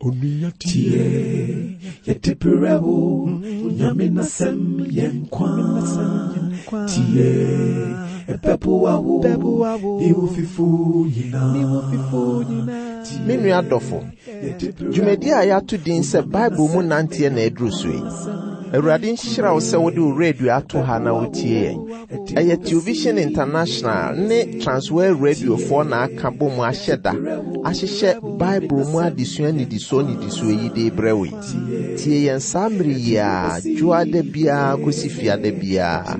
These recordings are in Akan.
Tie, yɛde brɛ wo, Nyame n'asɛm yɛ nkwa. Tie, ɛbɛboa wo, ne wo fifo nyinaa. Me nua dɔfo, dwumadi a yɛato din sɛ Bible mu nanteɛ na aduru so yi. Awurade nhyira wo sɛ wode wo radio ato ha na wotie yɛn. Ɛyɛ Television International ne Transworld Radiofoɔ na aka bɔ mu ahyɛ da ahyehyɛ Bible mu adesua nnidisoɔ nnidisoɔ yi de rebrɛ wo yi. Tie yɛn saa mmere yi ara, dwoada biara kɔsi fiada biara,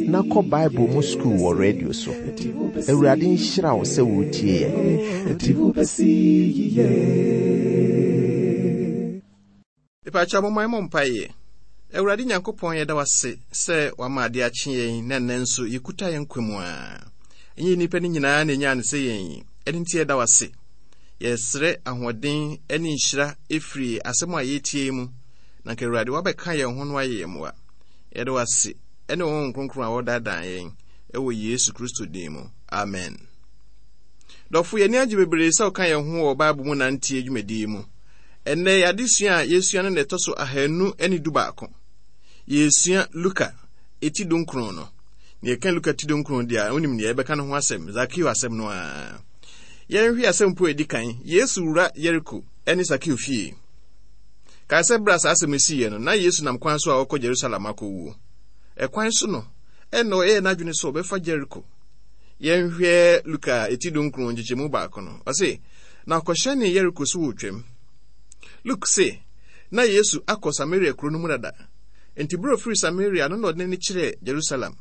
na kɔ Bible mu sukuu wɔ radio so. Awurade nhyira wo sɛ woretie yɛn. Mepakyɛw momma yɛmmɔ mpaeɛ. Awurade Nyankopɔn yɛda wo ase sɛ wama ade akye yɛn na nnɛ nso yɛkuta yɛn nkwa mu a. Ɛnyɛ nnipa no nyinaa na ɛnyaa no sɛ yɛn yi, ɛno nti yɛda wo ase. Yɛsrɛ ahoɔden ne nhyira ɛfiri asɛm a yɛretie yi mu, na nka Awurade wabɛka yɛn ho no ayɛ yɛn mmoa. Yɛda wo ase ɛne wo Honhom Kronkron a wɔdaadaa yɛn ɛwɔ Yesu Kristo din mu. Amen. Dɔfo, yɛn ani agye bebree sɛ woka yɛn ho wɔ Bible mu nanteɛ dwumadi yi mu. Ɛnnɛ, yɛn adesua a yɛresua no na ɛtɔ so 211. Yɛresua Luka eti dunkron no. Na yɛka Luka ti dunkron deɛ a, wonim nea yɛbɛka no ho asɛm, Zakeo asɛm no ara. Yɛnhwɛ asɛm po a ɛdi kan, Yesu wura Yeriko ne Sakeo fie. Kae sɛ berɛ a saa asɛm yi siiɛ no, na Yesu nam kwan so a ɔrekɔ Jerusalem akɔwuo. Ɛkwan so no, ɛnna ɔyɛɛ n'adwene sɛ ɔbɛfa Yeriko. Yɛnhwɛ Luka eti dunkron nkyekyɛmu baako no. Ɔse, Na ɔkɔhyɛnee Yeriko so wɔ Twam. Luke se, na Yesu akɔ Samaria kuro no mu dada. Enti berɛ a ɔfiri Samaria no na ɔde n'ani kyerɛɛ Jerusalem.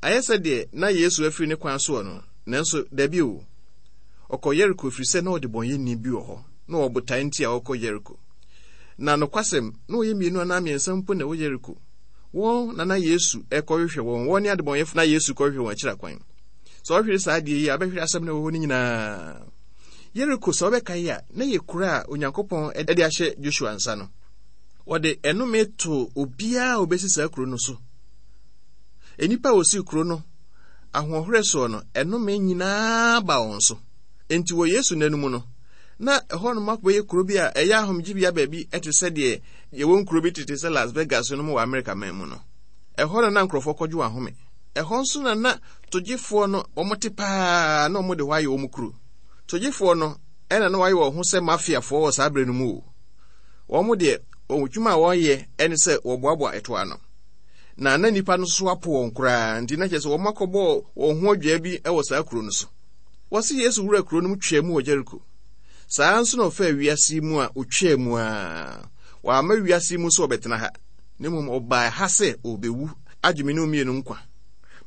Ayɛ sɛ deɛ na Yesu afiri ne kwan soɔ no, nanso dabi o. Ɔkɔɔ Yeriko ɛfiri sɛ na ɔdebɔneyɛni bi wɔ hɔ, na ɔwɔ botae nti a ɔrekɔ Yeriko. Na nokwasɛm, na wɔyɛ mmienu anaa mmiɛnsa mpo na ɛwɔ Yeriko. Wɔn na na Yesu rekɔhwehwɛ wɔn, wɔn ne adebɔneyɛfo na Yesu kɔhwehwɛ wɔn akyiri akwan. Sɛ ɔhwere saa adeɛ yi a, ɔbɛhwere asɛm no ɛwɔ hɔ no nyinaa. Yeriko, sɛ wobɛkae a, na yɛ kuro a Onyankopɔn de ahyɛ Joshua nsa no. Wɔde ɛnome too obiara a obesi saa kuro no so. Nnipa a wɔsii kuro no ahoɔherɛ soɔ no, ɛnome nyinaa ba wɔn so. Enti wɔ Yesu nna no mu no, na ɛhɔnom akɔbɛyɛ kuro bi a ɛyɛ ahomegyebea baabi te sɛ deɛ yɛwɔ nkuro bi tete sɛ Las Vegas no mu wɔ Amerika man mu no. Ɛhɔ na na nkurɔfoɔ kɔgye wɔn ahome. Ɛhɔ nso na na togyefoɔ no wɔte paa na wɔde hɔ ayɛ wɔn kuro. Togyefoɔ no ɛna na wɔayɛ wɔn ho sɛ mafiafoɔ wɔ saa berɛ no mu o. Wɔn deɛ wɔn dwuma a wɔyɛ ɛne sɛ wɔboaboa ɛto ano. Na na nnipa no nso apo wɔn koraa nti na kyerɛ sɛ wɔn akɔbɔ wɔn ho adwaa bi wɔ saa kuro no so. Wɔse Yesu wura kuro no mu twaa mu wɔ Jericho. Saa nso na ɔfaa wiase yi mu a ɔtwaa mu a. Wamma wiase yi mu sɛ ɔbɛtena ha, na mmom ɔbaa ha sɛ ɔrebɛwu agye me ne wo mmienu nkwa.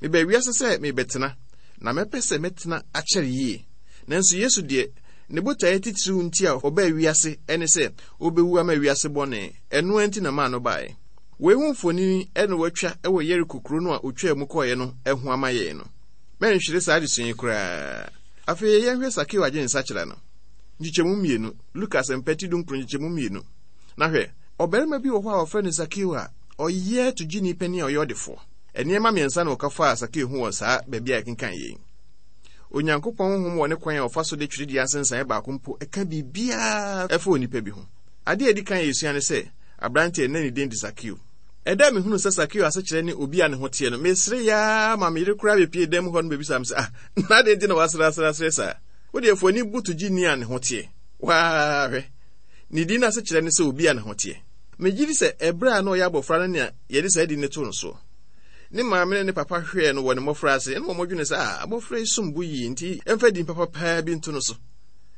Mebaa wiase sɛ merebɛtena, na mɛpɛ sɛ mɛtena akyɛre yie. Nanso Yesu deɛ, ne botaeɛ titiriw nti a ɔbaa wiase ne sɛ ɔbɛwu ama wiase bɔne. Ɛno ara nti na maa no baeɛ. Wei ho mfonini na wɔatwa wɔ Yeriko kuro no a ɔtwaa mu kɔeɛ no ho ama yɛn no. Mɛnhwere saa adesua yi koraa. Afei yɛnhwɛ Sakeo adwensakyera no. Nkyekyɛmu mmienu, Luka Asɛmpa ti dunkron nkyekyɛmu mmienu. Na hwɛ, ɔbarima bi wɔ hɔ a wɔfrɛ no Sakeo a ɔyɛ togyeni panin a ɔyɛ ɔdefoɔ. Nneɛma mmiɛnsa na wɔka faa Sakeo ho wɔ saa baabi a yɛkenkan yei. Onyankopɔn honhom wɔ ne kwan a ɔfa so de twerɛdua nsensaneɛ baako mpo ka biribiara fa onipa bi ho. Adeɛ a ɛdi kan a yɛsua ne sɛ, aberanteɛ na ne din de Sakeo. Ɛda a mehunuu sɛ Sakeo asekyerɛ ne obi a ne ho teɛ no, meseree ara ma me yere koraa bɛpie dan mu hɔ no bɛbisaa me sɛ, Ah, na adɛn nti na woasereasereasere saa? Wo deɛ fa w'ani bu togyeni a ne ho teɛ. Waa hwɛ! Ne din no asekyerɛ ne sɛ obi a ne ho teɛ. Megye di sɛ ɛberɛ a na ɔyɛ abɔfra no nea yɛde saa din no too no soɔ. Ne maame ne ne papa hwɛɛ no wɔ ne mmɔfraase na wɔdwene sɛ, Ah, abɔfra yi som bo yie nti yɛmfa din papa paa bi nto no so.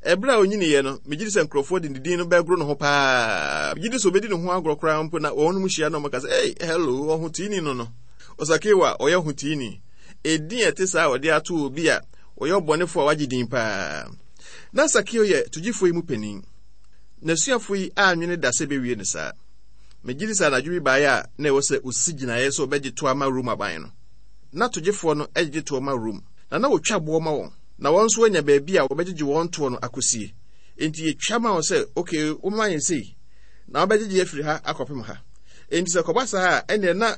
Ɛberɛ a ɔnyiniiɛ no, megye di sɛ nkurɔfoɔ de ne din no bɛgoro ne ho paa. Megye di sɛ ɔbɛdi ne ho agorɔ koraa mpo na wɔn mu hyia na wɔka sɛ, Ei, hello, ɔhoteeni no no. Ɔsakeo a ɔyɛ ɔhoteeni. Edin a ɛte saa a wɔde ato obi a ɔyɛ ɔbɔnefoɔ a wagye din paa. Na Sakeo yɛ togyifoɔ yi mu panin. N'asuafo yi annwene da sɛ ebewie no saa. Megye di sɛ anadwo bi bae a na ɛwɔ sɛ osi gyinae sɛ ɔbɛgye tow ama Rome aban no. Ná togyefoɔ no gyegye toɔ ma Rome, na na wɔtwa boɔ ma wɔn, na wɔn nso wɔanya baabi a wɔbɛgyegye wɔn toɔ no akosie. Enti yɛtwa ma wɔn sɛ, ok, wobɛma yɛn sei, na wobɛgyegye afiri ha akɔpem ha. Enti sɛ ɛkɔba saa a, ɛnneɛ na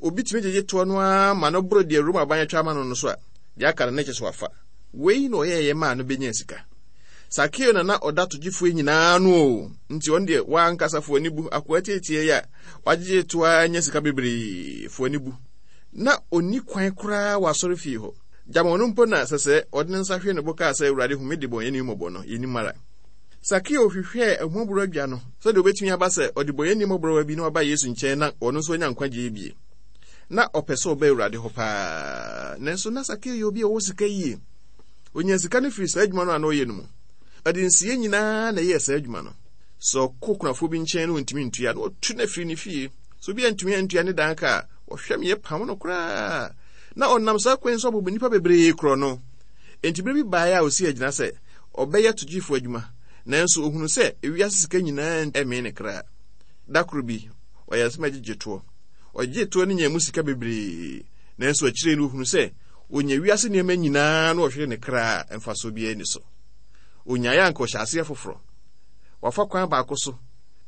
obi tumi gyegye toɔ no ara ma no boro deɛ Rome aban atwa ama no no so a, deɛ aka no na ɛkyɛ sɛ wafa. Wei na ɔyɛeɛ maa no bɛnyaa sika. Sakeo na na ɔda togyefoɔ nyinaa ano o, nti ɔno deɛ w'ankasa fo ani bu, akoa tietie yi a wagyegye to ara anya sika bebree, fo ani bu. Na ɔnni kwan koraa wɔ asɔrefie hɔ. Gyama ɔno mpo na sɛsɛɛ ɔde ne nsa hwee ne bo kaa sɛ, Awurade, hu me debɔneyɛni mmɔbɔ no, yɛnnim ara. Sakeo hwehwɛɛ ahummɔborɔ adwa no sɛdeɛ ɔbɛtumi aba sɛ ɔdebɔneyɛni mmɔborɔwa bi na waba Yesu nkyɛn na ɔno nso anya nkwagyeɛ bie. Na ɔpɛ sɛ ɔba Awurade hɔ paa. Nanso na Sakeo yɛ obi a ɔwɔ sika yie. Ɔnyaa sika no firii saa adwuma no a na ɔyɛ no mu. Ɔde nsiyɛ nyinaa na ɛyɛɛ saa adwuma no. Sɛ ɔkɔ kunafoɔ bi nkyɛn na ɔntumi ntua na ɔtu no afiri ne fie. Sɛ obi antumi antua ne dan ka a, wɔhwɛ me pam no koraa. Na ɔnam saa kwan so abobɔ nnipa bebree korɔ no. Enti berɛ bi baeɛ a ɔsii agyina sɛ ɔbɛyɛ togyefoɔ adwuma, nanso ɔhunuu sɛ ewiase sika nyinaa mmee ne kra. Da koro bi, ɔyɛɛ sɛ mɛgyegye toɔ. Ɔgyee toɔ no nyaa mu sika bebree, nanso akyire no ɔhunuu sɛ ɔnya wiase nneɛma nyinaa na ɔhwere ne kra a, mfasoɔ biara nni so. Ɔnyaeɛ a anka ɔhyɛ aseɛ foforɔ. Wafa kwan baako so,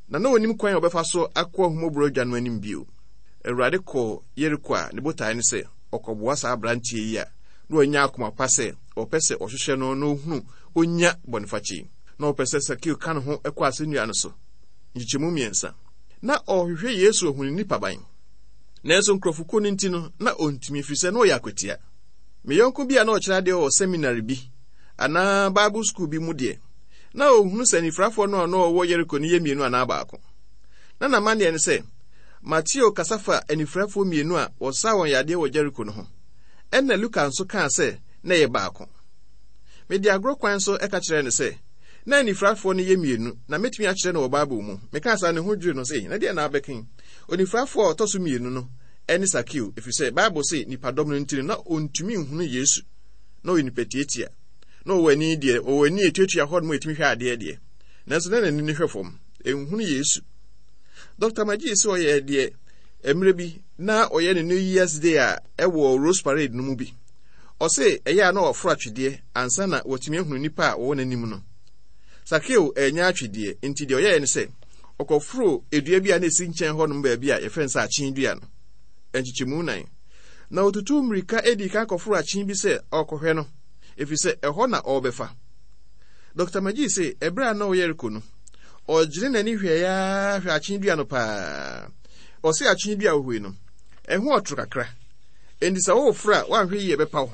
na na ɔnim kwan a ɔbɛfa so akɔ ahummɔborɔ adwa no anim bio. Awurade kɔɔ Yeriko a ne botae ne sɛ ɔkɔboa saa aberanteɛ yi a na wanya akoma pa sɛ ɔpɛ sɛ ɔhwehwɛ no na ɔhunu ɔnya bɔnefakyɛ yi. Na ɔpɛ sɛ Sakeo ka ne ho kɔ asɛnnua no so. Nkyekyɛmu mmiɛnsa. Na ɔrehwehwɛ Yesu ahu ne nipaban. Nanso nkurɔfokuo no nti no, na ɔntumi ɛfiri sɛ na ɔyɛ akwatia. Me yɔnko bi a na ɔkyerɛ adeɛ wɔ seminary bi anaa Bible school bi mu deɛ, na ɔhunu sɛ anifirafoɔ no a na ɔwɔ Yeriko no yɛ mmienu anaa baako. Na n'amanneɛ ne sɛ, Mateo kasa fa anifirafoɔ mmienu a wɔsaa wɔn yadeɛ wɔ Jeriko no ho, ɛnna Luka nso kaa sɛ na ɛyɛ baako. Mede agorɔ kwan so ka kyerɛɛ no sɛ, na anifirafoɔ no yɛ mmienu, na mɛtumi akyerɛ no wɔ Bible mu. Mekaa saa no, ne ho dwirii no sɛ, na deɛ na abɛka yi? Onifirafoɔ a ɔtɔ so mmienu no ne Sakeo, ɛfiri sɛ Bible se nnipadɔm no nti no, na ɔntumi nhunu Yesu. Na ɔyɛ nipa tiatia. Na ɔwɔ ani deɛ, ɔwɔ ani a ɛtuatua hɔ nom a ɛtumi hwɛ adeɛ deɛ. Nanso na n'ani no hwɛ fam, ɛnhunu Yesu. Dr. Magee sɛ ɔyɛ deɛ mmerɛ bi na ɔyɛ ne New Year's Day a ɛwɔ Rose Parade no mu bi. Ɔse ɛyɛ a na ɔforo atwedeɛ ansa na watumi ahunu nnipa a wɔwɔ n'anim no. Sakeo annya atwedeɛ, nti deɛ ɔyɛeɛ ne sɛ ɔkɔforoo dua bi a na ɛsi nkyɛn hɔnom baabi a yɛfrɛ no sɛ akyen dua no, nkyekyɛmu nan. Na ɔtutuu mmirika dii kan kɔforoo akyen bi sɛ ɔrekɔhwɛ no, ɛfiri sɛ ɛhɔ na ɔrebɛfa. Dɔkta Magee se ɛberɛ a na ɔwɔ Yeriko no, Ɔgyene n'ani hwɛe ara hwɛ akyen dua no paa. Ɔse akyen dua a wohui no, ɛho ɔtoro kakra. Enti sɛ woreforo a, woanhwɛ yie ɛbɛpa wo.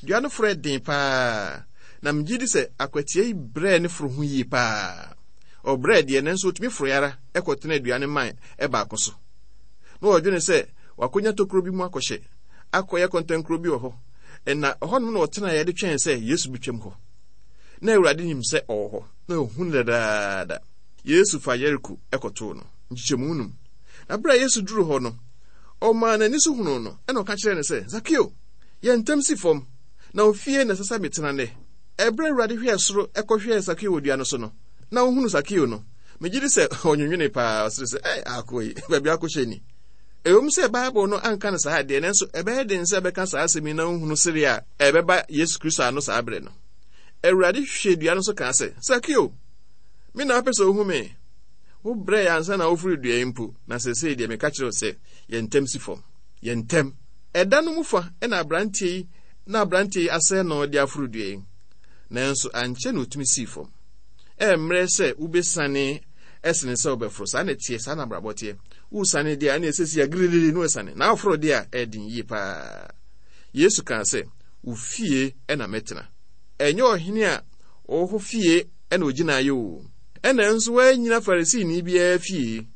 Dua no foro yɛ den paa, na megye di sɛ akwatia yi brɛɛ ne foro ho yie paa. Ɔbrɛɛ deɛ, nanso otumi foroe ara kɔtenaa dua no mman baako so. Na ɔdwene sɛ wakonya tokuro bi mu akɔhyɛ, akɔyɛ kɔntɛnkuro bi wɔ hɔ. Na ɛhɔnom na ɔtenaeɛ de twɛn sɛ Yesu betwam hɔ. Na Awurade nim sɛ ɔwɔ hɔ. na ohu no dadaada. Yesu fa Yeriko kɔtoo no. Nkyekyɛmu num. Na bere a Yesu duruu hɔ no, ɔmaa n'ani so hunuu no, ɛna ɔka kyerɛɛ no sɛ, Zakeo, yɛ ntɛm si fam, na wo fie na ɛsɛ sɛ metena nnɛ. Ɛberɛ a Awurade hwɛɛ soro kɔhwɛɛ Sakeo wɔ dua no so no, na ɔhunuu Sakeo no, megye di sɛ ɔnwenwenee paa, ɔsere sɛ, Ɛɛ, akoa yi, baabi akɔhyɛ ni. Ɛwom sɛ Bible no anka no saa deɛ, nanso ɛbɛyɛ den sɛ ɛbɛka saa asɛm yi na ɔnhunu sere a ɛbɛba Yesu Kristo ano saa berɛ no. Awurade hwɛɛ dua no so kaa sɛ, Sakeo, me na wopɛ sɛ wohu me? Wobrɛe ansa na woforo dua yi mpo, na seesei deɛ meka kyerɛ wo sɛ, yɛ ntɛm si fam. Yɛ ntɛm. Ɛda no mu fa na aberanteɛ yi na aberanteɛ yi asɛe no de aforo dua yi. Nanso ankyɛ na otumi sii fam. Ɛmmerɛ sɛ wobɛsiane ɛsene sɛ wobɛforo. Saa na ɛteɛ, saa na abrabɔ teɛ. Wosiane deɛ a, ɛne ɛsɛsi a giririri na wasiane. Na woforo deɛ a, ɛyɛ yie paa. Yesu kaa sɛ, Wo fie na mɛtena. Ɛnyɛ ɔhene a ɔwɔ hɔ fie na ogyinaeɛ o, ɛna nso wannyina Farisini biara fie,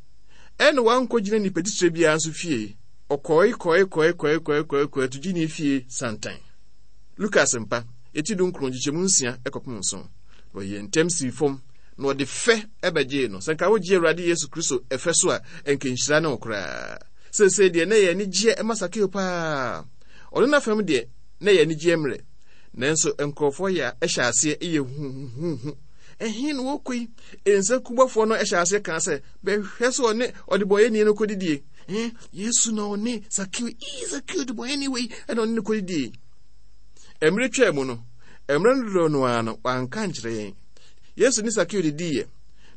ɛna wankɔgyina nipa titire biara nso fie. Ɔkɔe kɔe kɔe kɔe kɔe kɔe kɔe togyeni fie santan. Lukas mpa, eti dunkron nkyekyɛmu nsia kɔpem nson. Na ɔyɛɛ ntɛm sii fam, na ɔde fɛ bɛgyee no. Sɛ nka wogye Awurade Yesu Kristo fɛ so a, nka nhyira ne wo koraa. Seesei deɛ na ɛyɛ anigyeɛ ma Sakeo paa. Ɔno n'afam deɛ, na ɛyɛ anigyeɛ mmerɛ. Nanso nkurɔfoɔ yɛ hyɛ aseɛ yɛ huhuhuhu. Ɛhe na wɔkɔ yi? Nsankubɔfoɔ no hyɛ aseɛ kaa sɛ, bɛhwɛ sɛ ɔne ɔdebɔyɛni no kɔdidie. Eh, Yesu na ɔne Sakeo, ii Sakeo debɔyɛni wei ɛna ɔne no kɔdidie. Mmerɛ twaa mu no, mmerɛ no dodoɔ no ara no, wanka nkyerɛ yɛn. Yesu ne Sakeo didiiɛ,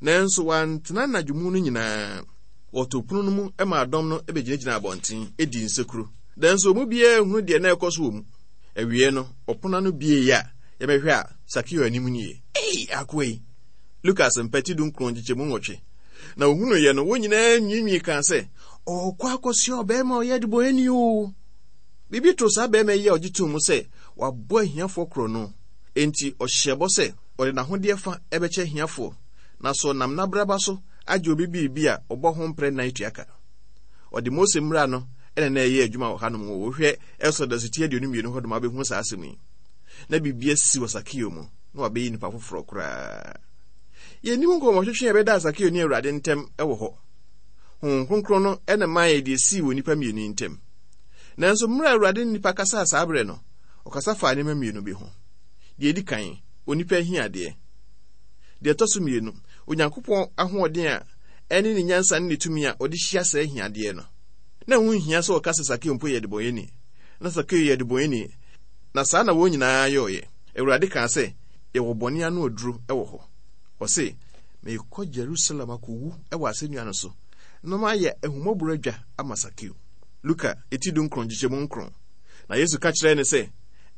nanso wantena anadwo mu no nyinaa. Wɔtoo pono no mu maa dɔm no bɛgyinagyina abɔnten dii nsekuro. Nanso wɔn mu biara nhunu deɛ na ɛrekɔ so wɔ mu. Awiei no, ɔpon ano buei a yɛbɛhwɛ a, Sakeo anim nie. Ei, akoa yi! Luka Asɛmpa ti 19 nkyekyɛmu 8. Na ohunuiɛ no, wɔn nyinaa nwiinwii kaa sɛ, Ɔrekɔ akɔsoa ɔbarima a ɔyɛ adebɔneyɛni o! Biribi too saa barima yi a ɔgye too mu sɛ wabɔ ahiafoɔ korɔno. Enti ɔhyɛɛ bɔ sɛ ɔde n'ahodeɛ fa bɛkyɛ ahiafoɔ, na sɛ ɔnam n'abraba so agye obi biribi a, ɔbɔ ho mprɛ nnan tua ka. Ɔde Mose mmara no na na ɛyɛ adwuma wɔ hanom. Wohwɛ Exodus ti 22 hɔ nom a wobɛhu saa asɛm yi. Na biribi asi wɔ Sakeo mu, na wabɛyɛ nipa foforɔ koraa. Yɛnnim nkɔmmɔtwetwe a ɛbɛdaa Sakeo ne Awurade ntam wɔ hɔ. Honhom Kronkron no na ɛmaa yɛ deɛ ɛsii wɔ nnipa mmienu yi ntam. Nanso mmerɛ a Awurade ne nnipa kasaa saa berɛ no, ɔkasa faa nneɛma mmienu bi ho. Deɛ ɛdi kan, onipa ahiadeɛ. Deɛ ɛtɔ so mmienu, Onyankopɔn ahoɔden a ɛne ne nyansa ne ne tumi a ɔde hyia saa ahiadeɛ no. Na ɛho nhia sɛ ɔka sɛ Sakeo mpo yɛ debɔnyɛni. Na Sakeo yɛ debɔnyɛni, na saa na wɔn nyinaa yɔeɛ. Awurade kaa sɛ, Yɛwɔ bɔne ano aduro wɔ hɔ. Ɔse, Merekɔ Jerusalem akɔwu wɔ asɛnnua no so, na mayɛ ahummɔborɔ adwa ama Sakeo. Luka eti dunkron nkyekyɛmu nkron. Na Yesu ka kyerɛɛ no sɛ,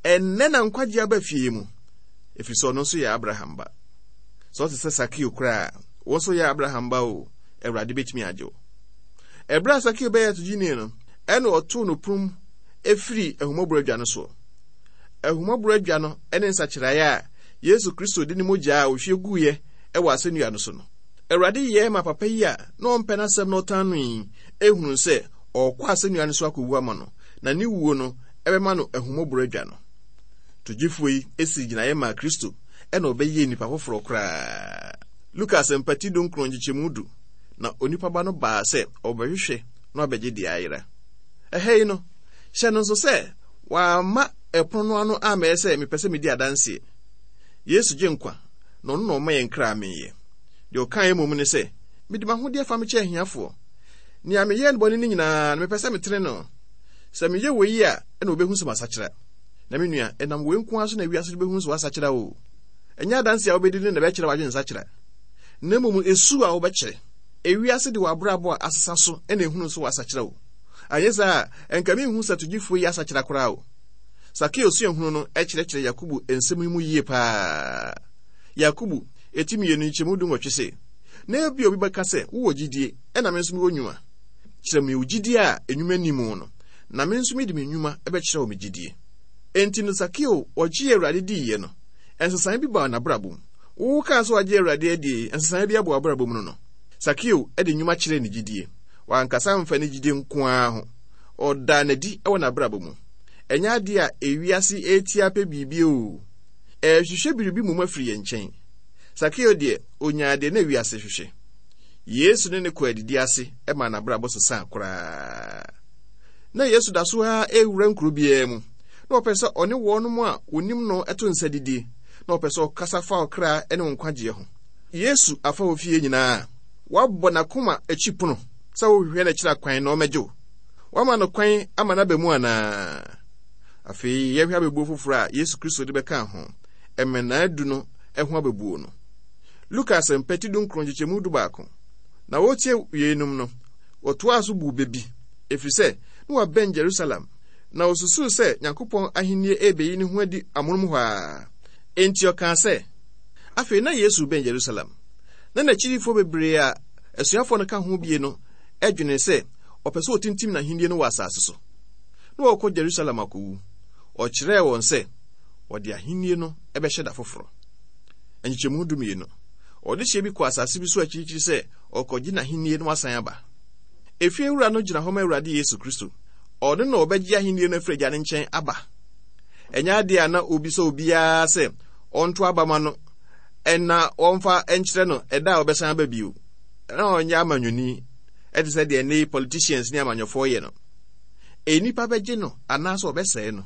Ɛnnɛ na nkwagye aba fie yi mu, ɛfiri sɛ ɔno nso yɛ Abraham ba. Sɛ ɔte sɛ Sakeo koraa a, wo nso yɛ Abraham ba o, Awurade bɛtumi agye wo. Ɛberɛ a Sakeo bɛyɛ togyeni no, ɛna ɔtoo no pono firii ahummɔborɔ adwa no soɔ. Ahummɔborɔ adwa no ne nsakyeraeɛ a Yesu Kristo de ne mogya a ɔhwie guiɛ wɔ asɛnnua no so no. Awurade yɛɛ ma papa yi a na ɔmpɛ n'asɛm na ɔtan no yi hunuu sɛ ɔrekɔ asɛnnua no so akɔwu ama no, na ne wuo no bɛma no ahummɔborɔ adwa no. Togyefoɔ yi sii gyinaeɛ maa Kristo na ɔbɛyɛɛ nipa foforɔ koraa. Luka Asɛmpa ti dunkron nkyekyɛmu du, Na onipa ba no baa sɛ ɔrebɛhwehwɛ na wabɛgye deɛ ayera. Ɛha yi no, hyɛ no nso sɛ wamma ɛpono no ano ammɛyɛ sɛ mepɛ sɛ medi adanseɛ. Yesu gye nkwa, na ɔno na ɔma yɛn kra meeɛ. Deɛ ɔkaeɛ mmom ne sɛ, Mede m'ahodeɛ fa mekyɛ ahiafoɔ. Nea meyɛɛ no bɔne no nyinaa no, mepɛ sɛ metene no. Sɛ meyɛ wei a, ɛna wɔbɛhu sɛ masakyera. Na me nua, ɛnam wei nko ara so na wiase no bɛhu sɛ woasakyera o. Ɛnyɛ adanse a wobɛdi no na ɛbɛkyerɛ w'adwensakyera, na mmom esu a wobɛkyerɛ. Ewiase de w'abrabɔ a asesa so na ehunu sɛ woasakyera o. Anyɛ saa a, ɛnka minhu sɛ togyefoɔ yi asakyera koraa o. Sakeo suahunu no kyerɛkyerɛ Yakobo nsɛm yi mu yie paa. Yakobo, eti mmienu nkyɛmu dunwɔtwe se, Na ebia obi bɛka sɛ, Wowɔ gyidie, ɛna me nso mewɔ nnwuma. Kyerɛ me wo gyidie a nnwuma nni mu no, na me nso mede me nnwuma bɛkyerɛ wo me gyidie. Enti no Sakeo ɔgyee Awurade diiɛ no, nsesaeɛ bi baa n'abrabɔ mu. Wo kaa sɛ wagye Awurade adie yi, nsesaeɛ bi aba w'abrabɔ mu no no? Sakeo de nnwuma kyerɛɛ ne gyidie. Wankasa amfa ne gyidie nko ara ho. Ɔdaa no adi wɔ n'abrabɔ mu. Ɛnyɛ adeɛ a ewiase retia pɛ biribi oo. Ɛrehwehwɛ biribi mmom afiri yɛn nkyɛn. Sakeo deɛ, ɔnyaa deɛ na wiase hwehwɛ. Yesu ne no kɔɔ adidi ase maa n'abrabɔ sesaa koraa. Na Yesu da so ara rewura nkuro biara mu. Na ɔpɛ sɛ ɔne wɔnom a wɔnim no to nsa didie. Na ɔpɛ sɛ ɔkasa fa ɔkra ne wo nkwagyeɛ ho. Yesu afa wo fie nyinaa. Wabɔ n'akoma akyi pono sɛ wohwehwɛ no akyiri akwan na ɔmmɛgye wo. Woama no kwan ama no aba mu anaa? Afei yɛnhwɛ abɛbuo foforɔ a Yesu Kristo de bɛkaa ho, mmɛnaa du no ho abɛbuo no. Luka Asɛmpa ti dunkron nkyekyɛmu dubaako. Na wɔretie yeinom no, wɔtoaa so buu bɛ bi, ɛfiri sɛ na wɔabɛn Jerusalem, na wɔsusuu sɛ Nyankopɔn ahennie rebeyi ne ho adi amonom hɔ ara. Enti ɔkaa sɛ, Afei na Yesu rebɛn Jerusalem, na n'akyidifoɔ bebree a asuafoɔ no ka ho bie no dwenee sɛ ɔpɛ sɛ ɔtintim n'ahennie no wɔ asase so, na ɔrekɔ Jerusalem akɔwu. Ɔkyerɛɛ wɔn sɛ wɔde ahennie no bɛhyɛ da foforɔ. Nkyekyɛmu dumienu. Ɔdehyeɛ bi kɔɔ asase bi so akyirikyiri sɛ ɔrekɔgye n'ahennie na wasan aba. Efie wura no gyina hɔ ma Awurade Yesu Kristo. Ɔno na ɔbɛgye ahennie no afiri Agya no nkyɛn aba. Ɛnyɛ adeɛ a na obisa obiara sɛ ɔnto aba ma no na ɔmfa nkyerɛ no ɛda a ɔbɛsan aba bio. Na ɔnyɛ amanyɔni ɛte sɛ deɛ nnɛ yi politicians ne amanyɔfoɔ yɛ no. Nnipa bɛgye no anaasɛ ɔbɛsɛe no.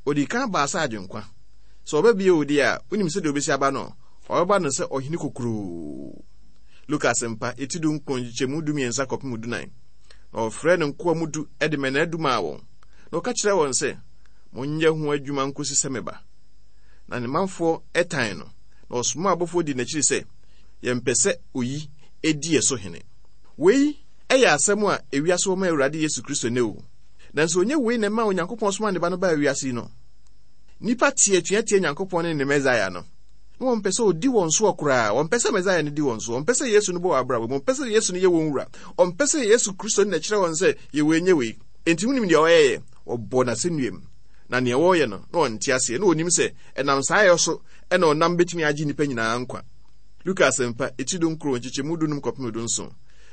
Ɔdii kan baa sɛ agyenkwa. Sɛ ɔba bio deɛ a, wonim sɛdeɛ ɔbɛsi aba no? Ɔbɛba no sɛ ɔhene kokuroo. Luka Asɛmpa, eti dunkron, nkyekyɛmu dumiɛnsa kɔpem dunan. Na ɔfrɛɛ ne nkoa mu du de mmɛnnaa du maa wɔn, na ɔka kyerɛɛ wɔn sɛ, Monyɛ ho adwuma nkosi sɛ meba. Na ne manfoɔ tan no, na ɔsomaa abɔfoɔ dii n'akyiri sɛ, Yɛmpɛ sɛ oyi di yɛn so hene. Wei yɛ asɛm a ewiase wɔ ma Awurade Yesu Kristo nnɛ o. Nanso ɛnyɛ wei na ɛmaa Onyankopɔn somaa ne Ba no baa wiase yi no. Nnipa te atua tia Nyankopɔn ne ne Mesaia no. Na wɔmpɛ sɛ ɔdi wɔn soɔ koraa. Wɔmpɛ sɛ Mesaia no di wɔn so. Wɔmpɛ sɛ Yesu no bɔ wɔn abrabɔ mu. Wɔmpɛ sɛ Yesu no yɛ wɔn wura. Wɔmpɛ sɛ Yesu Kristo no na ɛkyerɛ wɔn sɛ yɛ wei nyɛ wei. Enti wonim deɛ ɔyɛeɛ? Wɔbɔɔ no asɛnnua mu. Na nea wɔreyɛ no, na ɔnte aseɛ. Na ɔnim sɛ ɛnam saa yɛ so na ɔnam bɛtumi agye nnipa nyinaa nkwa. Luka Asɛmpa, eti dunkron, nkyekyɛmu dunum kɔpem dunson.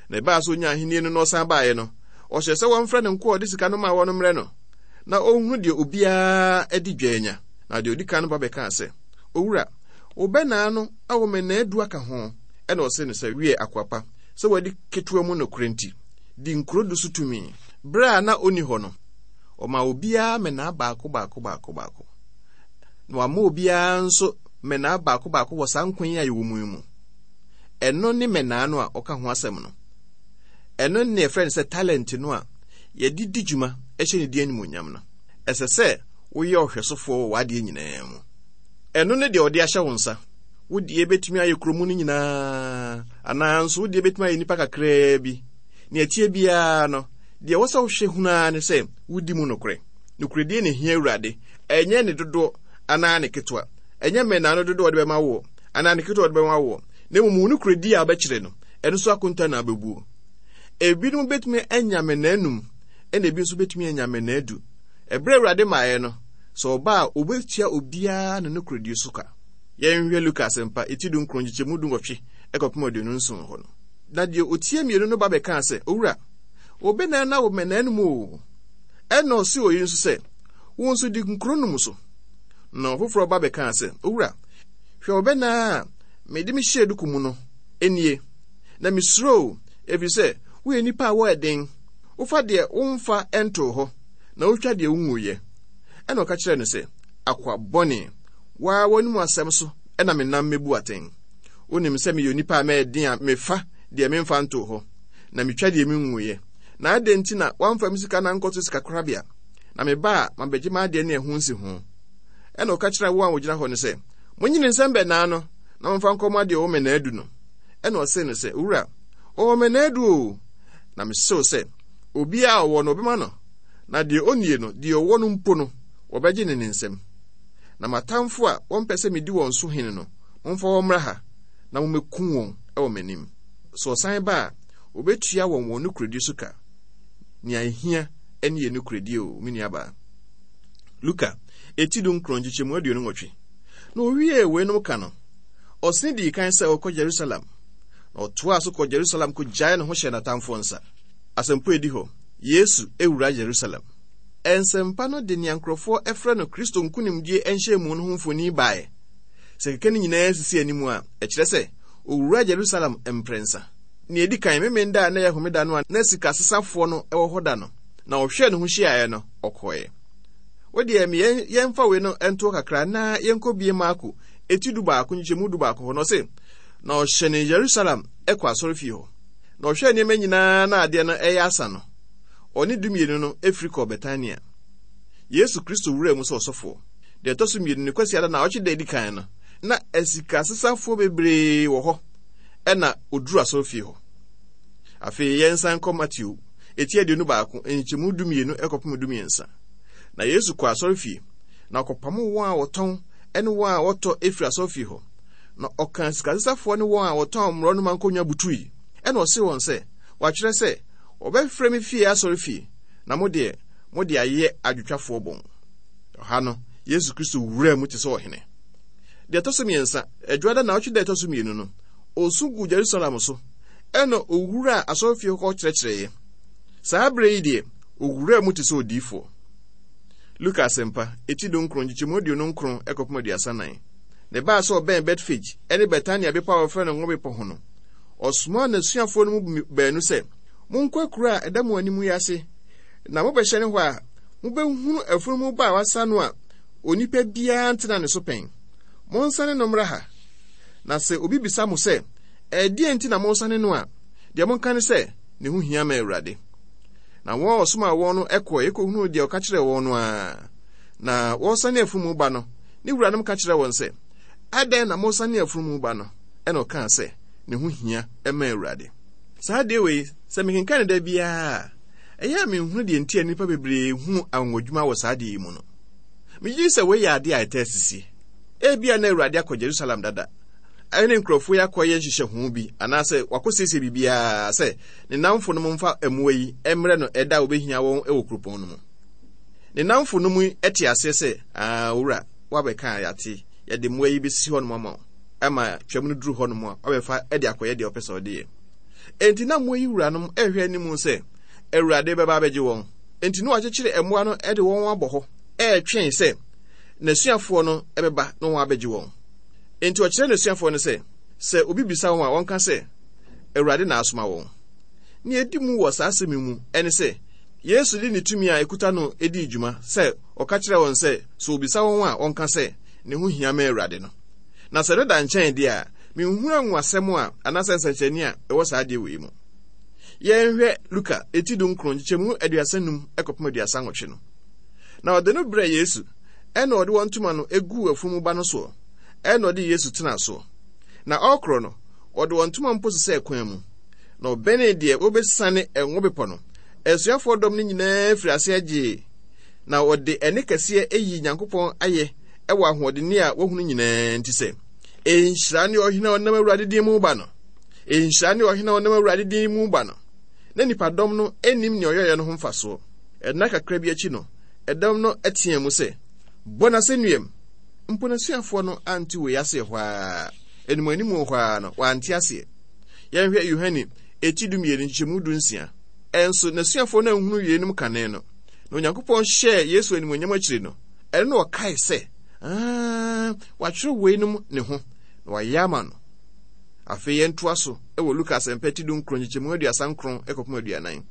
Na ɛbaa sɛ ɔnyaa ahennie no na ɔsan baeɛ no, ɔhyɛɛ sɛ wɔmfrɛ ne nkoa a ɔde sika no maa wɔn no mmrɛ no, na ɔnhunu deɛ obiara adi dwa anya. Na deɛ ɔdi kan no ba bɛkaa sɛ, Owura, wo bɛnaa no awo mmɛnnaa du aka ho. Ɛnna ɔsee no sɛ, Wiɛ, akoa pa, sɛ woadi ketewa mu nokorɛ nti, di nkuro du so tumi. Berɛ a na ɔnni hɔ no, ɔmaa obiara mmɛnnaa baako baako baako baako. Na wama obiara nso mmɛnnaa baako baako wɔ saa nkwa yi a yɛwɔ mu yi mu. Ɛno ne mmɛnnaa no a ɔka ho asɛm no. Ɛno ne yɛfrɛ no sɛ talent no a yɛde di dwuma hyɛ ne din animuonyam no. Ɛsɛ sɛ woyɛ ɔhwɛsofoɔ wɔ w'adeɛ nyinaa mu. Ɛno ne deɛ ɔde ahyɛ wo nsa. Wo deɛ bɛtumi ayɛ kuro mu no nyinaa, anaa nso wo deɛ bɛtumi ayɛ nnipa kakraa bi. Nea ɛteɛ biara no, deɛ ɛwɔ sɛ wohwɛ hunu ara ne sɛ wodi mu nokorɛ. Nokorɛdie na ɛhia Awurade, ɛnyɛ ne dodoɔ anaa ne ketewa. Ɛnyɛ mmɛnnaa no dodoɔ a ɔde bɛma woɔ, anaa ne ketewa a ɔde bɛma woɔ, na mmom wo nokorɛdie a wobɛkyerɛ no, ɛno so akonta na wobɛbuo. Ebinom bɛtumi anya mmɛnnaa num, ɛna ebi nso bɛtumi anya mmɛnnaa du. Ɛberɛ a Awurade maeɛ no, sɛ ɔba a, ɔbɛtua obiara ne nokorɛdie so ka. Yɛnhwɛ Luka Asɛmpa, eti dunkron, nkyekyɛmu dunwɔtwe kɔpem 27 hɔ no. Na deɛ ɔtia mmienu no ba bɛkaa sɛ, Owura, wo bɛnaa no awo mmɛnaa no mu o. Ɛnna ɔsee oyi nso sɛ, Wo nso di nkuro no mu so. Na ɔfoforɔ ba bɛkaa sɛ, Owura, hwɛ wo bɛnaa a mede me hyɛɛ duku mu no nie, na mesuro wo, ɛfiri sɛ woyɛ nipa a woyɛ den, wofa deɛ womfa ntoo hɔ, na wotwa deɛ wonguiɛ. Ɛnna ɔka kyerɛɛ no sɛ, Akoa bɔne, wo ara w'anomu asɛm so na menam mebu atɛn. Wonim sɛ meyɛ onipa a mɛyɛ den a mefa deɛ memfa ntoo hɔ, na metwa deɛ menguiɛ. Na adɛn nti na woamfa me sika no ankɔto sikakorabea, na meba a mabɛgye m'adeɛ ne ɛho nsiho? Ɛnna ɔka kyerɛɛ wɔn a wɔgyina hɔ no sɛ, Monyi ne nsam bɛnnaa no, na momfa nkɔma deɛ ɔwɔ mmɛnnaa du no. Ɛnna ɔsee no sɛ, Owura, ɔwɔ mmɛnnaa du oo! Na mise wo sɛ, obiara a ɔwɔ no, wɔbɛma no, na deɛ ɔnnie no, deɛ ɔwɔ no mpo no, wɔbɛgye no ne nsam. Na m'atamfo a wɔmpɛ sɛ medi wɔn so hene no, momfa wɔn mmra ha, na mommekum wɔn wɔ m'anim. Sɛ ɔsan ba a, obetua wɔn wɔn nokorɛdie so ka. Nea ehia ne yɛn nokorɛdie o, me nuabaa. Luka, eti dunkron, nkyekyɛmu 28. Na owiee weinom ka no, ɔsene dii kan sɛ ɔrekɔ Yerusalem, na ɔtoaa so kɔɔ Yerusalem kɔgyaee ne ho hyɛɛ n'atamfoɔ nsa. Asɛmpa a edi hɔ, Yesu wura Yerusalem. Nsɛmpa no de nea nkurɔfoɔ frɛ no Kristo nkonimdie nhyiamu no ho mfoni baeɛ. Sɛ kɛkɛ no nyinaa sisi anim a, ɛkyerɛ sɛ owuraa Yerusalem mprɛnsa. Nea edi kan, Memeneda a na ɛyɛ Homeda no a na sikasesafoɔ no wɔ hɔ da no, na ɔhwɛɛ ne ho hyiaeɛ no, ɔkɔeɛ. Wo deɛ, me yɛn, yɛmfa wei no ntoɔ kakra na yɛnkɔbie Marko eti dubaako nkyekyɛmu dubaako hɔ no, ɔse, Na ɔhyɛnee Yerusalem kɔ asɔrefie hɔ, na ɔhwɛɛ nneɛma nyinaa na adeɛ no ɛyɛ asa no, ɔne dumienu no firi kɔɔ Betania. Yesu Kristo wuraa mu sɛ ɔsɔfoɔ. Deɛ ɛtɔ so mmienu, ne Kwasiada naawɔtwe da edi kan no, na asikasesafoɔ bebree wɔ hɔ, ɛna ɔduru asɔrefie hɔ. Afei yɛnsan nkɔ Mateo eti 21, nkyekyɛmu 12 kɔpem 13. Na Yesu kɔɔ asɔrefie, na ɔkɔpamoo wɔn a wɔtɔn ne wɔn a wɔtɔ firi asɔrefie hɔ. Na ɔkaa sikasesafoɔ ne wɔn a wɔtɔn mmorɔnoma nkonnwa butui. Ɛna ɔsee wɔn sɛ, Wɔatwerɛ sɛ, 'Wɔbɛfrɛ me fie asɔrefie, na mo deɛ, mode ayɛ adwotwafoɔ bɔn. Ɔha no, Yesu Kristo wuraa mu te sɛ ɔhene. Deɛ ɛtɔ so mmiɛnsa, Adwuada naawɔtwe da ɛtɔ so mmienu no, ɔsu guu Jerusalem so, ɛna ɔwuraa asɔrefie hɔ kɔkyerɛkyerɛeɛ. Saa berɛ yi deɛ, ɔwuraa mu te sɛ odiyifoɔ. Luka Asɛmpa, eti dunkron, nkyekyɛmu 29 kɔpem 34. Na ɛbaa sɛ ɔbɛn Betfage ne Betania bepɔ a wɔfrɛ no Ngo Bepɔ ho no, ɔsomaa n'asuafoɔ no mu baanu sɛ, Monkɔ akuraa a ɛda mo anim yi ase, na mobɛhyɛne hɔ a, mobɛhunu afunumu ba a wɔasa no a onipa biara ntena ne so pɛn. Monsane no mmra ha. Na sɛ obi bisa mo sɛ, 'Ɛdeɛn nti na moresane no a, deɛ monka ne sɛ, 'Ne ho hia ma Awurade. Na wɔn a ɔsomaa wɔn no kɔeɛ kɔhunuu deɛ ɔka kyerɛɛ wɔn no ara. Na wɔresane afunumu ba no, ne wuranom ka kyerɛɛ wɔn sɛ, Adɛn na moresane afunumu ba no? Ɛnna ɔkaa sɛ, Ne ho hia ma Awurade. Saa adeɛ wei, sɛ mekenkan no da biara a, ɛyɛ a menhunu deɛ nti a nnipa bebree hunu anwanwadwuma wɔ saa adeɛ yi mu no. Megye di sɛ wei yɛ adeɛ a ɛtaa sisie. Ebia na Awurade akɔ Jerusalem dada, ɛne nkurɔfoɔ yi akɔyɛ nhyehyɛho bi anaasɛ wakɔsiesie biribiara sɛ ne nnamfo no mfa mmoa yi mmrɛ no ɛda a wɔbɛhia wɔn wɔ kuropɔn no mu. Ne nnamfo no mu te aseɛ sɛ, Aa, owura, woabɛka a yɛate, yɛde mmoa yi bɛsi hɔnom ama wo, ama twam no duru hɔnom a, woabɛfa de akɔyɛ deɛ wopɛ sɛ wode yɛ. Enti na mmoa yi wuranom rehwɛ anim sɛ Awurade bɛba abɛgye wɔn. Enti na wɔakyekyere mmoa no de wɔn abɔ hɔ retwɛn sɛ n'asuafoɔ no bɛba na wɔn abɛgye wɔn. Enti ɔkyerɛ n'asuafoɔ no sɛ, sɛ obi bisa wɔn a, wɔnka sɛ, Awurade na asoma wɔn. Nea edi mu wɔ saa asɛm yi mu ne sɛ, Yesu de ne tumi a ekuta no dii dwuma sɛ ɔka kyerɛɛ wɔn sɛ, sɛ obisa wɔn a, wɔnka sɛ, Ne ho hia ma Awurade no. Na sɛ ɛno da nkyɛn de a, minhunu anwonwasɛm a anaasɛ nsɛnkyerɛnne a ɛwɔ saa adeɛ wei mu. Yɛnhwɛ Luka eti dunkron nkyekyɛmu 35 kɔpem 38 no. Na ɔde no brɛɛ Yesu, ɛna ɔde wɔn ntoma no guu afunumu ba no soɔ, ɛna ɔde Yesu tenaa soɔ. Na ɔrekorɔ no, ɔde wɔn ntoma mpo sesɛɛ kwan mu. Na ɔbɛnee deɛ wɔbɛsiane Ngo Bepɔ no, asuafoɔ dɔm no nyinaa firii aseɛ gyee, na wɔde ɛnne kɛseɛ yii Nyankopɔn ayɛ wɔ ahoɔdenne a wɔahunu nyinaa nti sɛ, Nhyira ne ɔhene a ɔnam Awurade din mu ba no! Nhyira ne ɔhene a ɔnam Awurade din mu ba no! Na nnipadɔm no nnim nea ɔyɛeɛ no ho mfasoɔ. Nna kakra bi akyi no, ɛdɔm no teɛɛ mu sɛ, Bɔ no asɛnnuam! Mpo n'asuafoɔ no ante wei aseɛ hɔ ara. Animuanimu hɔ ara no, wɔante aseɛ. Yɛnhwɛ Yohane eti dumienu nkyekyɛmu dunsia. Ɛnso n'asuafoɔ no anhunu yeinom kane no. Na Onyankopɔn hyɛɛ Yesu animuonyam akyiri no, ɛno na ɔkae sɛ, Aa, wɔatwerɛ weinom ne ho, na wɔayɛ ama no. Afei yɛntoa so wɔ Luka Asɛmpa ti dunkron nkyekyɛmu 39 kɔpem 40.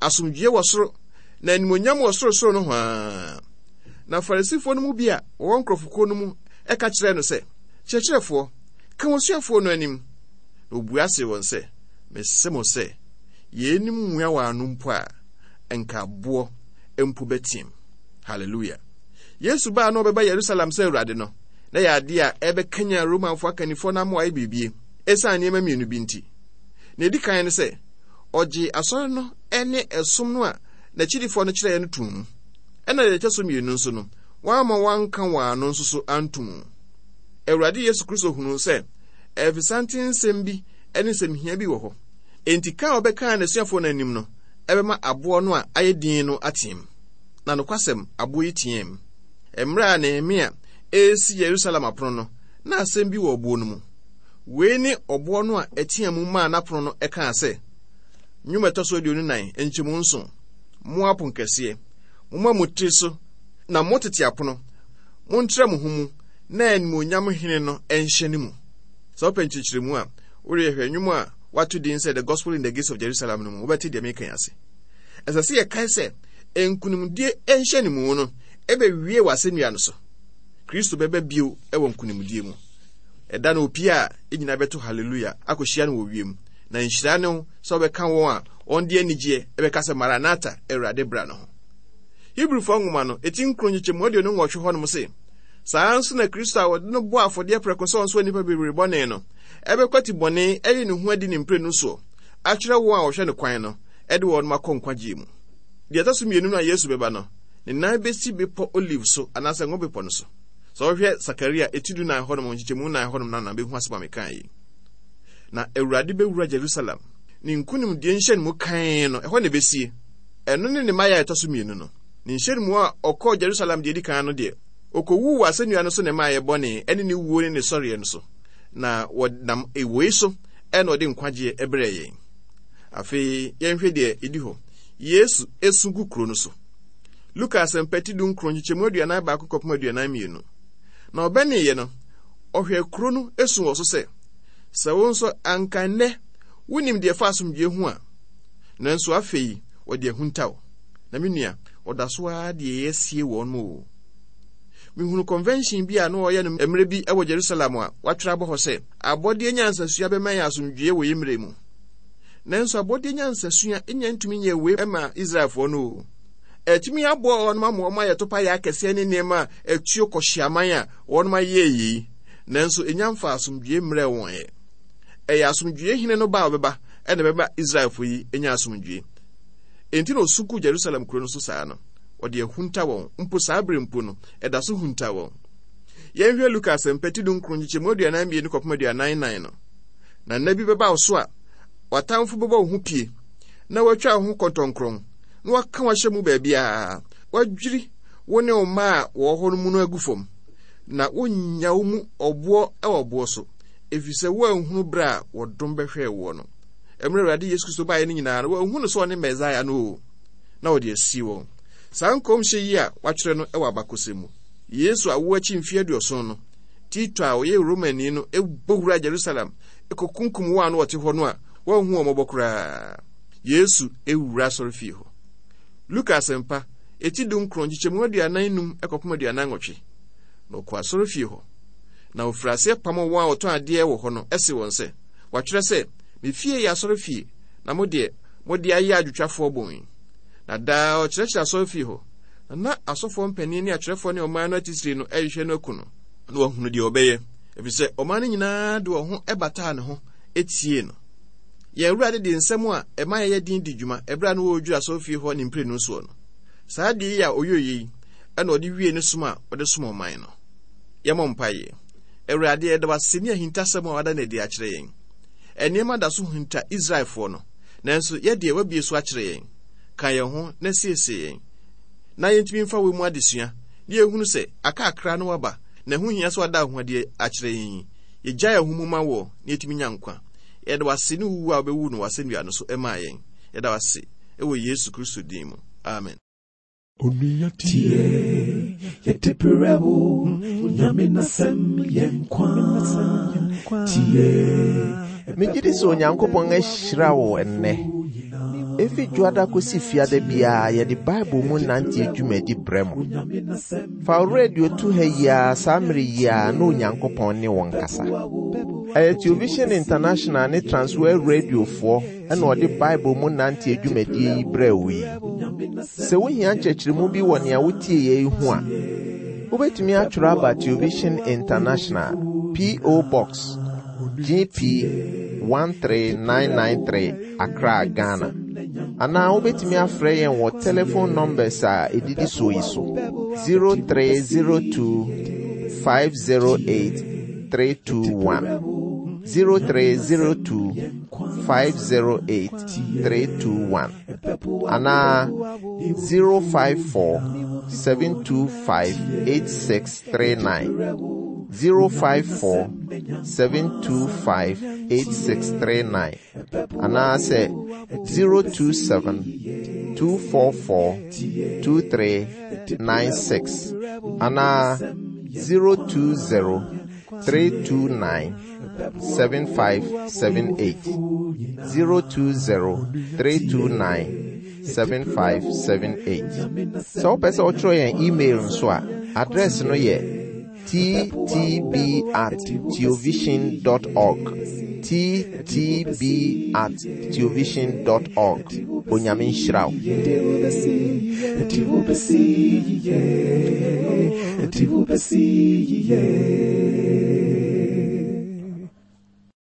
Asomdwoeɛ wɔ soro, na animuonyam wɔ sorosoro nohoa. Na Farisifoɔ no mu bi a wɔwɔ nkurɔfokuo no mu ka kyerɛɛ no sɛ, Kyerɛkyerɛfoɔ, ka w'asuafoɔ no anim. Na ɔbua see wɔn sɛ, Mese mo sɛ, yeinom mmua wɔn ano mpo a, nka aboɔ mpo bɛteam. Hallelujah. Yesu baa na ɔbɛba Yerusalem sɛ Awurade no, na ɛyɛ adeɛ a ɛbɛkanyan Romanfoɔ akannifoɔ no ama wɔayɛ biribi esiane nneɛma mmienu bi nti. Nea ɛdi kan ne sɛ, ɔgyee asɔre no ne ɛsom no a n'akyidifoɔ no kyerɛeɛ no too mu. Ɛna deɛ ɛtɔ so mmienu nso no, wamma wɔanka wɔn ano nso so anto mu. Awurade Yesu Kristo hunuu sɛ ɛfesante nsɛm bi ne nsɛmhia bi wɔ hɔ. Enti ka a ɔbɛkaa n'asuafoɔ no anim no bɛma aboɔ no a ayɛ din no ateam. Na nokwasɛm, aboɔ yi teaam. Mmerɛ a Nehemia resi Yerusalem apono no, na asɛm bi wɔ ɔboɔ no mu. Wei ne ɔboɔ no a ɛteaa mu maa n'apono no kaa sɛ, Nnwom a ɛtɔ so 24, nkyɛmu nson, Mo aponkɛseɛ, momma mo tiri so, na mo tete apono, montrɛ mo ho mu, na animuonyam hene no nhyɛne mu. Sɛ wopɛ nkyerɛkyerɛmu a, wodeɛ hwɛ nnwom a wɔato din sɛ The Gospel in the Gates of Jerusalem no mu, wobɛte deɛ mereka yi ase. Ɛsɛ sɛ yɛkae sɛ nkonimdie nhyɛnemu no bɛwie wɔ asɛnnua no so. Kristo bɛba bio wɔ nkonimdie mu. Ɛda no opie a, yɛn nyinaa bɛto haleluya akɔhyia no wɔ wiem. Na nhyira ne wo sɛ wobɛka wɔn a wɔde anigyeɛ bɛka sɛ Maranatha, Awurade bra no ho. Hebrifoɔ nwoma no, eti nkron nkyekyɛmu 28 hɔnom se, Saa ara nso na Kristo a wɔde no bɔɔ afɔdeɛ prɛko sɛ ɔnsoa nnipa bebree bɔne no, bɛkwati bɔne ayi ne ho adi ne mprenu soɔ, akyerɛ wɔn a wɔhwɛ no kwan no, de wɔn akɔ nkwagyeɛ mu. Deɛ ɛtɔ so mmienu no a Yesu bɛba no, ne nan bɛsi bepɔ Olive so anaasɛ Ngo Bepɔ no so. Sɛ wohwɛ Sakaria eti dunan hɔnom nkyekyɛmu nnan hɔnom no na bɛhu asɛm a mekaa yi. Na Awurade bɛwura Jerusalem. Ne nkonimdie nhyɛnmu kann no, ɛhɔ na ɛbɛsie. Ɛno ne ne mmaeɛ a ɛtɔ so mmienu no. Ne nhyɛnmu a ɔkɔɔ Jerusalem deɛ ɛdi kan no deɛ, ɔkɔwuu wɔ asɛnnua no so ne mmaeɛ bɔne ne ne wuo ne ne sɔreɛ no so. Na wɔnam wei so na ɔde nkwagyeɛ brɛɛ yɛn. Afei yɛnhwɛ deɛ ɛdi hɔ. Yesu su gu kuro no so. Luka Asɛmpa ti dunkron nkyekyɛmu 41 kɔpem 42. Na ɔbɛneeɛ no, ɔhwɛɛ kuro no su wɔ so sɛ, Sɛ wo nso anka nnɛ wonim deɛ ɛfa asomdwoeɛ ho a, nanso afei wɔde ahunta wo. Na me nua, ɔda so ara de yɛn asie wɔn mu o. Mehunu convention bi a na wɔyɛ no mmerɛ bi wɔ Jerusalem a wɔatwerɛ abɔ hɔ sɛ, Abɔdeɛ nyansasua bɛma yɛn asomdwoeɛ wɔ yɛn mmerɛ mu. Nanso abɔdeɛ nyansasua nya ntumi nyɛɛ wei ma Israelfoɔ no o. Ɛtumi aboa wɔn ama wɔn ayɛ topaeɛ akɛseɛ ne nneɛma a ɛtuo kɔhyeaman a wɔn ayɛ yei. Nanso ɛnya mfa asomdwoeɛ mmerɛɛ wɔn ɛ. Ɛyɛ asomdwoeɛ hene no ba a ɔbɛba na ɛbɛma Israelfoɔ yi anya asomdwoeɛ. Enti na ɔsu gu Jerusalem kuro no so saa no. Ɔde ahunta wɔn, mpo saa berɛ mpo no, ɛda so hunta wɔn. Yɛnhwɛ Luka Asɛmpa ti dunkron nkyekyɛmu 42 kɔpem 44 no. Na nna bi bɛba wo so a w'atamfo bɛbɔ wo ho pie, na wɔatwa wo ho kɔntɔnkrɔn, na wɔaka wo ahyɛ mu baabiara, wɔadwiri wo ne wo mma a wɔwɔ hɔ no mu no agu fam, na wonnya wo mu ɔboɔ wɔ ɔboɔ so, ɛfiri sɛ woanhunu berɛ a wɔdom bɛhwɛɛ woɔ no. Mmerɛ Awurade Yesu Kristo baeɛ no nyinaa no, wɔanhu no sɛ ɔne Mesaia no o, na wɔde asie wɔn. Saa nkɔmhyɛ yi a wɔatwerɛ no wɔ abakɔsɛm mu, Yesu awoɔ akyi mfeɛ aduɔson no, Tito a ɔyɛ Romani no bɔ wuraa Jerusalem kɔkunkum wɔn a na wɔte hɔ no a wɔanhu wɔn mmɔbɔ koraa. Yesu wura asɔrefie hɔ. Luka Asɛmpa, eti dunkron, nkyekyɛmu 45 kɔpem 48. Na ɔkɔɔ asɔrefie hɔ, na ɔfirii aseɛ pamoo wɔn a wɔtɔn adeɛ wɔ hɔ no see wɔn sɛ, Wɔatwerɛ sɛ, 'Me fie yɛ asɔrefie, na mo deɛ, mode ayɛ adwotwafoɔ bon. Na daa ɔkyerɛkyerɛ asɔrefie hɔ, na na asɔfoɔ mpanin ne atwerɛfoɔ ne ɔman no atitire no rehwehwɛ no aku no. Na wɔahunu deɛ ɔbɛyɛ, ɛfiri sɛ ɔman no nyinaa de wɔn ho bataa ne ho tiee no. Yɛn Awurade de nsɛm a ɛma yɛyɛ den di dwuma ɛberɛ a na ɔredwiri asɔrefie hɔ ne mprenu soɔ no. Saa adeɛ yi a ɔyɔeɛ yi na ɔde wiee ne som a ɔde som ɔman no. Yɛmmɔ mpaeɛ. Awurade, yɛda wo ase ne ahintasɛm a woada no adi akyerɛ yɛn. Nneɛma da so hinta Israelfoɔ no, nanso yɛ deɛ woabue so akyerɛ yɛn. Ka yɛn ho na siesie yɛn, na yɛntumi mfa wei mu adesua, na yɛhunu sɛ aka akra na woaba, na ɛho hia sɛ woada wo ho adi akyerɛ yɛn yi. Yɛgyae yɛn ho mu ma woɔ na yɛtumi nya nkwa. Yɛda wo ase ne wo wu a wobɛwuu no wɔ asɛnnua no so maa yɛn. Yɛda wo ase wɔ Yesu Kristo din mu. Amen. Onua tie, yɛde brɛ wo, Onyame n'asɛm yɛ nkwa. Tie. Megye di sɛ Onyankopɔn ahyira wo ɛnnɛ. Efi Dwoada kosi Fiada biara yɛde Bible mu nanteɛ dwumadi brɛ mo. Fa wo radio to ha yi ara saa mmere yi ara na Onyankopɔn ne wo nkasa. Ɛyɛ Television International ne Transworld Radiofoɔ na ɔde Bible mu nanteɛ dwumadie yi brɛɛ wo yi. Sɛ wohia nkyerɛkyerɛmu bi wɔ nea wotieeɛ yi ho a, wobɛtumi atwerɛ aba Television International, P.O. Box, GP 13993, Accra, Ghana. Anaa wobɛtumi afrɛ yɛn wɔ telephone numbers a ɛdidi soɔ yi so, 0302 508 321, 0302 508 321, anaa 054 725 8639, 054 725 8639, anaasɛ 027 244 2396, anaa 020 329 7578, 020 329 7578. Sɛ wopɛ sɛ wotwerɛ yɛn email nso a, address no yɛ ttb at theovision dot org. ttb at theovision dot org. Onyame nhyira wo.